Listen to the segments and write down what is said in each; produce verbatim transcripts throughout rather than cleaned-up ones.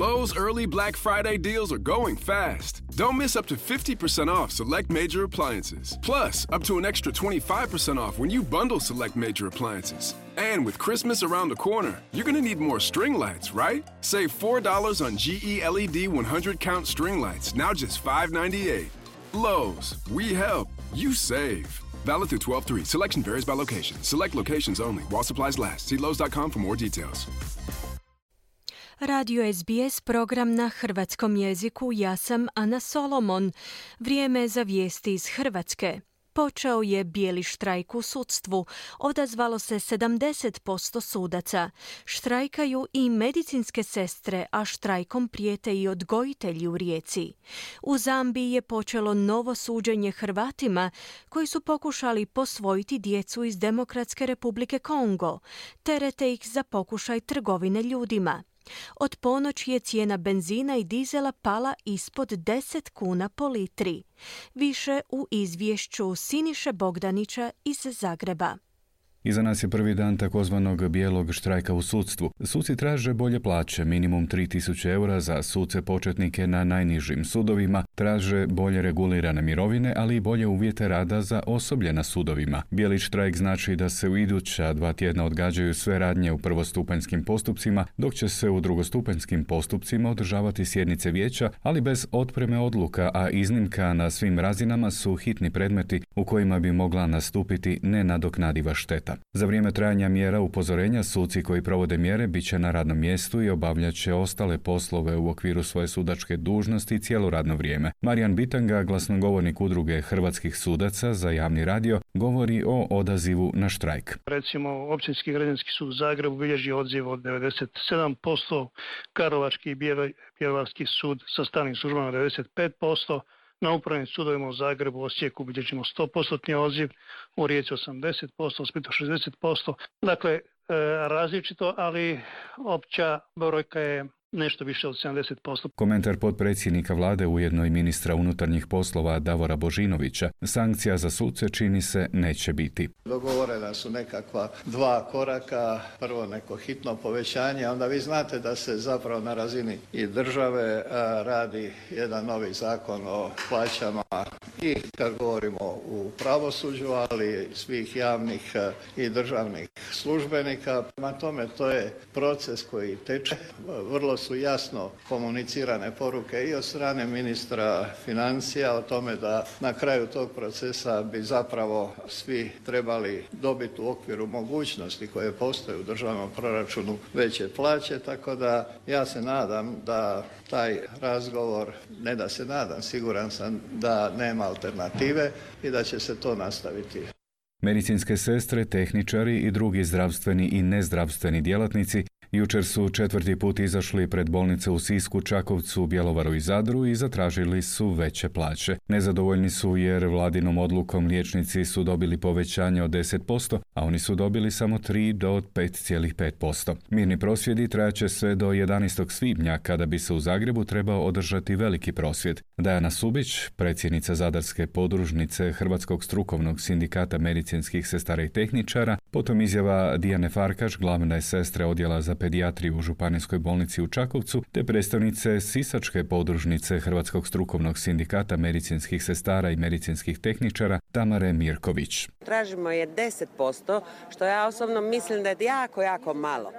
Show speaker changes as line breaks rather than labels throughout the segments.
Lowe's early Black Friday deals are going fast. Don't miss up to fifty percent off select major appliances. Plus, up to an extra twenty-five percent off when you bundle select major appliances. And with Christmas around the corner, you're going to need more string lights, right? Save four dollars on G E L E D one hundred count string lights, now just five ninety-eight. Lowe's, we help, you save. Valid through twelve three. Selection varies by location. Select locations only. While supplies last. See Lowe's dot com for more details.
Radio S B S, program na hrvatskom jeziku. Ja sam Ana Solomon. Vrijeme za vijesti iz Hrvatske. Počeo je bijeli štrajk u sudstvu. Odazvalo se sedamdeset posto sudaca. Štrajkaju i medicinske sestre, a štrajkom prijete i odgojitelji u Rijeci. U Zambiji je počelo novo suđenje Hrvatima koji su pokušali posvojiti djecu iz Demokratske Republike Kongo. Terete ih za pokušaj trgovine ljudima. Od ponoći je cijena benzina i dizela pala ispod deset kuna po litri. Više u izvješću Siniše Bogdanića iz Zagreba.
Iza nas je prvi dan takozvanog bijelog štrajka u sudstvu. Suci traže bolje plaće, minimum tri tisuće eura za suce početnike na najnižim sudovima, traže bolje regulirane mirovine, ali i bolje uvjete rada za osoblje na sudovima. Bijeli štrajk znači da se u iduća dva tjedna odgađaju sve radnje u prvostupanjskim postupcima, dok će se u drugostupanjskim postupcima održavati sjednice vijeća, ali bez otpreme odluka, a iznimka na svim razinama su hitni predmeti u kojima bi mogla nastupiti nenadoknadiva šteta. Za vrijeme trajanja mjera upozorenja suci koji provode mjere bit će na radnom mjestu i obavljat će ostale poslove u okviru svoje sudačke dužnosti cijelo radno vrijeme. Marijan Bitanga, glasnogovornik udruge hrvatskih sudaca za javni radio, govori o odazivu na štrajk.
Recimo, Općinski građanski sud u Zagrebu bilježi odziv od devedeset sedam posto, Karlovački i Bjelovarski sud sa stalnim službama devedeset pet posto, na upravnim sudovima u Zagrebu, Osijeku bilježimo sto posto odziv, u Rijeci osamdeset posto, u Splitu šezdeset posto. Dakle, e, različito, ali opća brojka je nešto više od sedamdeset posto.
Komentar potpredsjednika vlade, ujedno i ministra unutarnjih poslova Davora Božinovića. Sankcija za suce čini se neće biti.
Dogovorena su nekakva dva koraka, prvo neko hitno povećanje, onda vi znate da se zapravo na razini i države radi jedan novi zakon o plaćama i kad govorimo u pravosuđu, ali svih javnih i državnih službenika. Prema tome, to je proces koji teče. Vrlo su jasno komunicirane poruke i od strane ministra financija o tome da na kraju tog procesa bi zapravo svi trebali dobiti u okviru mogućnosti koje postoje u državnom proračunu veće plaće, tako da ja se nadam da taj razgovor, ne da se nadam, siguran sam da nema alternative i da će se to nastaviti.
Medicinske sestre, tehničari i drugi zdravstveni i nezdravstveni djelatnici jučer su četvrti put izašli pred bolnice u Sisku, Čakovcu, Bjelovaru i Zadru i zatražili su veće plaće. Nezadovoljni su jer vladinom odlukom liječnici su dobili povećanje od deset posto, a oni su dobili samo tri do pet zarez pet posto. Mirni prosvjedi trajaće sve do jedanaestog svibnja, kada bi se u Zagrebu trebao održati veliki prosvjed. Dajana Subić, predsjednica Zadarske podružnice Hrvatskog strukovnog sindikata medicinskih sestara i tehničara, potom izjava Dijane Farkaš, glavne sestre odjela za pedijatriju u Županijskoj bolnici u Čakovcu, te predstavnice Sisačke podružnice Hrvatskog strukovnog sindikata medicinskih sestara i medicinskih tehničara Tamare Mirković.
Tražimo je deset posto, što ja osobno mislim da je jako, jako malo.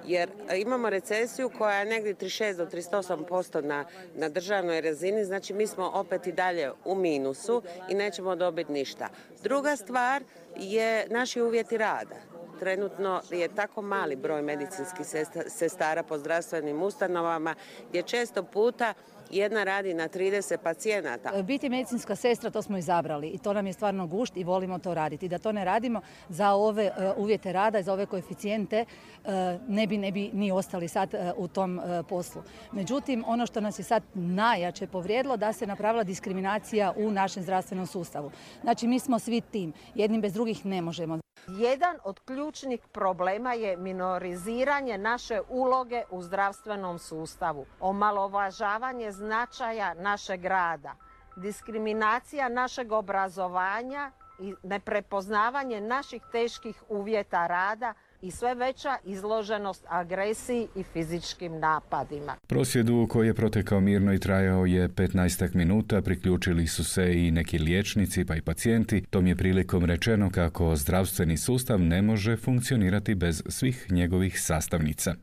Jer imamo recesiju koja je negdje trideset šest do trideset osam posto na, na državnoj razini, znači mi smo opet i dalje u minusu i nećemo dobiti ništa. Druga stvar je naši uvjeti rada. Trenutno je tako mali broj medicinskih sestara po zdravstvenim ustanovama gdje često puta jedna radi na trideset pacijenata.
Biti medicinska sestra, to smo izabrali i to nam je stvarno gušt i volimo to raditi. Da to ne radimo za ove uh, uvjete rada i za ove koeficijente uh, ne bi, ne bi ni ostali sad uh, u tom uh, poslu. Međutim, ono što nas je sad najjače povrijedilo da se napravila diskriminacija u našem zdravstvenom sustavu. Znači, mi smo svi tim. Jednim bez drugih ne možemo.
Jedan od ključnih problema je minoriziranje naše uloge u zdravstvenom sustavu, omalovažavanje značaja našeg rada, diskriminacija našeg obrazovanja i neprepoznavanje naših teških uvjeta rada i sve veća izloženost agresiji i fizičkim napadima.
Prosvjedu koji je protekao mirno i trajao je petnaestak minuta, priključili su se i neki liječnici pa i pacijenti. Tom je prilikom rečeno kako zdravstveni sustav ne može funkcionirati bez svih njegovih sastavnica.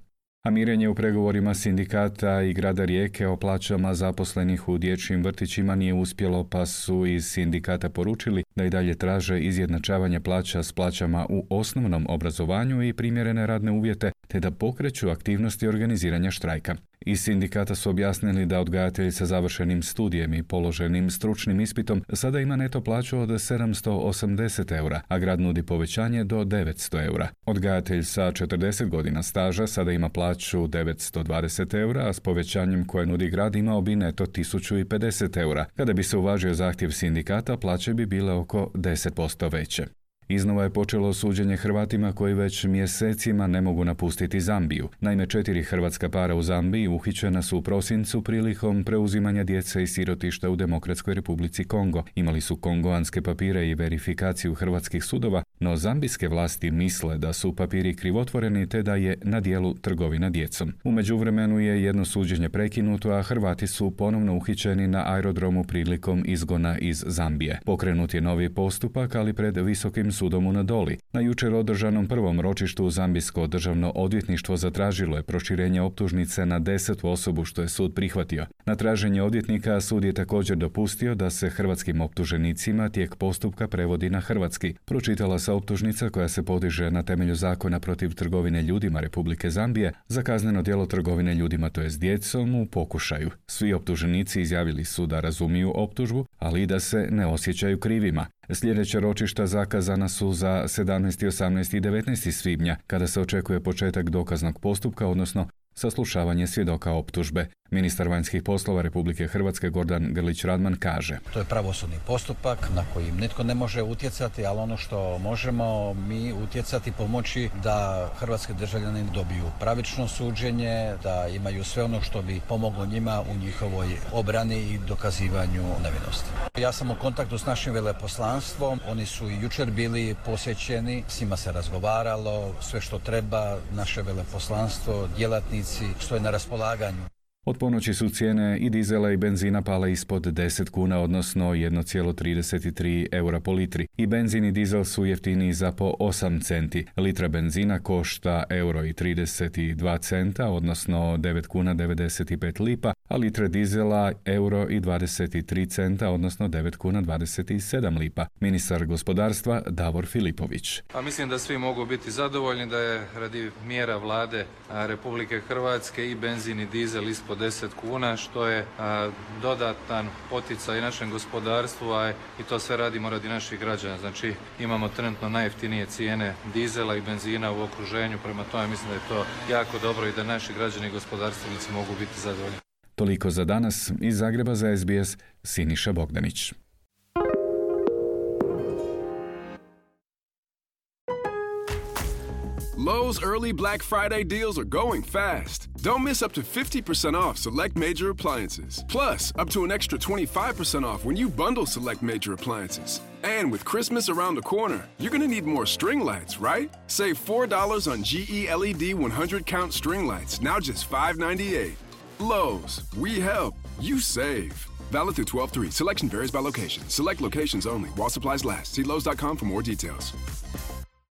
A mirenje u pregovorima sindikata i grada Rijeke o plaćama zaposlenih u dječjim vrtićima nije uspjelo, pa su iz sindikata poručili da i dalje traže izjednačavanje plaća s plaćama u osnovnom obrazovanju i primjerene radne uvjete, te da pokreću aktivnosti organiziranja štrajka. Iz sindikata su objasnili da odgajatelj sa završenim studijem i položenim stručnim ispitom sada ima neto plaću od sedamsto osamdeset eura, a grad nudi povećanje do devetsto eura. Odgajatelj sa četrdeset godina staža sada ima plaću devetsto dvadeset eura, a s povećanjem koje nudi grad imao bi neto tisuću pedeset eura. Kada bi se uvažio zahtjev sindikata, plaće bi bile oko deset posto veće. Iznova je počelo suđenje Hrvatima koji već mjesecima ne mogu napustiti Zambiju. Naime, četiri hrvatska para u Zambiji uhićena su u prosincu prilikom preuzimanja djece iz sirotišta u Demokratskoj Republici Kongo. Imali su kongoanske papire i verifikaciju hrvatskih sudova, no zambijske vlasti misle da su papiri krivotvoreni te da je na djelu trgovina djecom. U međuvremenu je jedno suđenje prekinuto, a Hrvati su ponovno uhićeni na aerodromu prilikom izgona iz Zambije. Pokrenut je novi postupak, ali pred Visokim sudom u Nadoli. Na jučer održanom prvom ročištu Zambijsko državno odvjetništvo zatražilo je proširenje optužnice na desetu osobu, što je sud prihvatio. Na traženje odvjetnika sud je također dopustio da se hrvatskim optuženicima tijek postupka prevodi na hrvatski. Pročitala se optužnica koja se podiže na temelju zakona protiv trgovine ljudima Republike Zambije za kazneno djelo trgovine ljudima, to jest djecom, u pokušaju. Svi optuženici izjavili su da razumiju optužbu, ali i da se ne osjećaju krivima. Sljedeća ročišta zakazana su za sedamnaesti, osamnaesti i devetnaesti svibnja, kada se očekuje početak dokaznog postupka, odnosno saslušavanje svjedoka optužbe. Ministar vanjskih poslova Republike Hrvatske Gordan Grlić Radman kaže:
To je pravosudni postupak na koji nitko ne može utjecati, ali ono što možemo mi utjecati, pomoći da hrvatski državljani dobiju pravično suđenje, da imaju sve ono što bi pomoglo njima u njihovoj obrani i dokazivanju nevinosti. Ja sam u kontaktu s našim veleposlanstvom, oni su i jučer bili posjećeni, s njima se razgovaralo, sve što treba, naše veleposlanstvo, djelatnici stoje na raspolaganju.
Od ponoći su cijene i dizela i benzina pale ispod deset kuna, odnosno jedan zarez trideset tri eura po litri. I benzin i dizel su jeftiniji za po osam centi. Litra benzina košta euro i trideset dva centa, odnosno devet kuna devedeset pet lipa, a litre dizela euro i dvadeset tri centa, odnosno devet kuna dvadeset sedam lipa. Ministar gospodarstva Davor Filipović.
A mislim da svi mogu biti zadovoljni da je radi mjera vlade Republike Hrvatske i benzin i dizel ispod deset kuna, što je a, dodatan poticaj našem gospodarstvu, a i to sve radimo radi naših građana. Znači imamo trenutno najjeftinije cijene dizela i benzina u okruženju, prema tome mislim da je to jako dobro i da naši građani i gospodarstvenici mogu biti zadovoljni.
Toliko za danas. Iz Zagreba za S B S, Siniša Bogdanić.
Lowe's early Black Friday deals are going fast. Don't miss up to fifty percent off select major appliances. Plus, up to an extra twenty-five percent off when you bundle select major appliances. And with Christmas around the corner, you're going to need more string lights, right? Save four dollars on G E L E D one hundred count string lights, now just five ninety-eight. Lowe's, we help, you save. Valid through twelve three. Selection varies by location. Select locations only. While supplies last. See Lowe's dot com for more details.